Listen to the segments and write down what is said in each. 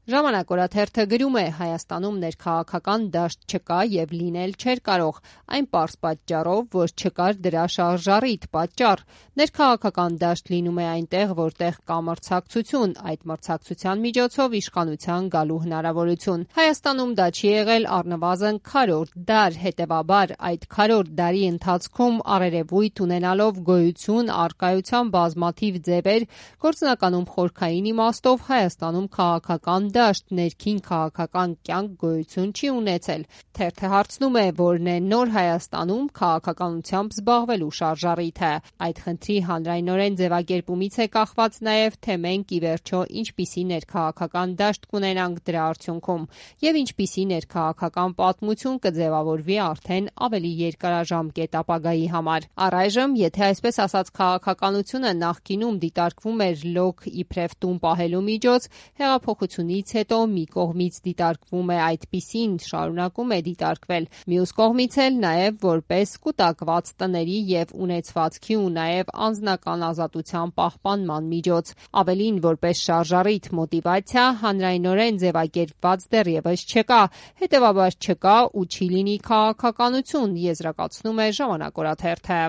Ժամանակ օրաթերթը գրում է. Հայաստանում ներքաղաքական դաշտ չկա եւ լինել չէր կարող, այն պարզ պատճառով, որ չկար դրա շարժառիթ պատճառ։ Ներքաղաքական դաշտ լինում է այնտեղ, որտեղ կա մրցակցություն, այդ մրցակցության միջոցով իշխանության գալու հնարավորություն։ Հայաստանում դա չի եղել առնվազն քառորդ դար, հետեւաբար այդ քառորդ դարի ընթացքում առերևույթ ունենալով գոյություն առկայության բազմաթիվ ձևեր, գործնականում խորքային իմաստով Հայաստանում քաղաքական դաշտ, ներքին քաղաքական կյանք գոյություն չի ունեցել։ Թերթը հարցնում է, որն է նոր Հայաստանում քաղաքականությամբ զբաղվելու շարժառիթը։ Այդ խնդրի հանրայնորեն ձևակերպումից է կախված նաև, թե մենք ի վերջո ինչպիսի ներքաղաքական դաշտ կունենանք դրա արդյունքում եւ ինչպիսի ներքաղաքական պատմություն կձևավորվի արդեն ավելի երկարաժամկետ ապագայի համար։ Առայժմ, եթե այսպես ասած քաղաքականությունը նախկինում դիտարկվում էր լոկ իբրև տուն պահելու միջոց, հեղափոխությունից հետո մի կողմից դիտարկվում է այդպիսին, շարունակում է դիտարկվել, մյուս կողմից էլ նաև որպես կուտակված տների եւ ունեցվածքի ու նաև անձնական ազատության պահպանման միջոց, ավելին որպես շարժառիթ մոտիվացիա հանրայնորեն ձևակերպված դեռևս չկա, հետեւաբար չկա ու չի լինի քաղաքականություն, եզրակացնում է Ժամանակ օրաթերթը։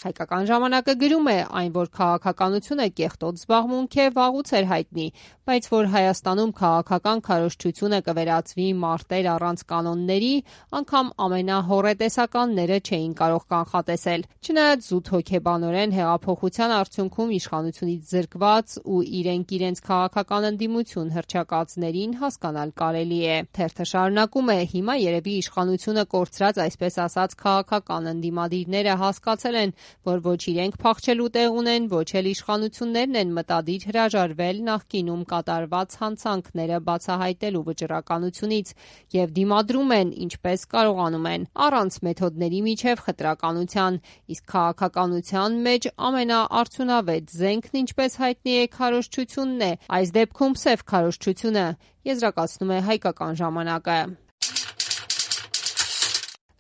Հայկական ժամանակը գրում է, այն, որ քաղաքականությունը կեղտոտ զբաղմունք է, վաղուց էր հայտնի, բայց որ Հայաստանում քաղաքական քարոզչությունը կվերածվի մարտեր առանց կանոնների, անգամ ամենահոռետեսականները չէին կարող կանխատեսել։ Չնայած զուտ հոգեբանորեն հեղափոխության արդյունքում իշխանությունից զրկված ու իրենց քաղաքական ընդդիմություն հռչակածներին հասկանալ կարելի է։ Թերթը շարունակում է. հիմա երևի իշխանությունը կորցրած այսպես ասած քաղաքական ընդդիմադիրները հասկացել են, որ ոչ իրենք փախչելու տեղ ունեն, ոչ էլ իշխանություններն են մտադիր հրաժարվել նախկինում կատարված հանցանքները բացահայտելու վճռականությունից եւ դիմադրում են ինչպես կարողանում են, առանց մեթոդների միջև խտրականության, իսկ քաղաքականության մեջ ամենաարդյունավետ զենքն ինչպես հայտնի է քարոզչությունն է, այս դեպքում սև քարոզչությունը, եզրակացնում է Հայկական ժամանակը։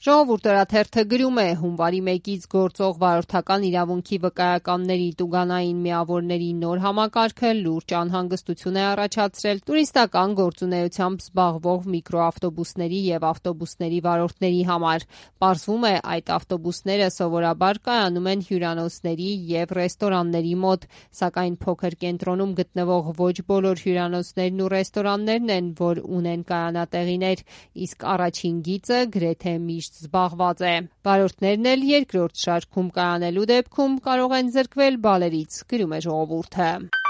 Ժողովուրդ օրաթերթը գրում է. հունվարի 1-ից գործող վարորդական իրավունքի վկայականների տուգանային միավորների նոր համակարգը լուրջ անհանգստություն է առաջացրել տուրիստական գործունեությամբ զբաղվող միկրոավտոբուսների եւ ավտոբուսների վարորդների համար։ Պարզվում է, այդ ավտոբուսները սովորաբար կայանում են հյուրանոցների եւ ռեստորանների մոտ, սակայն փոքր կենտրոնում գտնվող ոչ բոլոր հյուրանոցներն ու ռեստորաններն են, որ ունեն կայանատեղիներ, իսկ առաջին գիծը գրեթե միշտ զբաղված է։ Վարորդներն էլ երկրորդ շարքում կայանելու դեպքում կարող են զրկվել բալերից, գրում է Ժողովուրդը։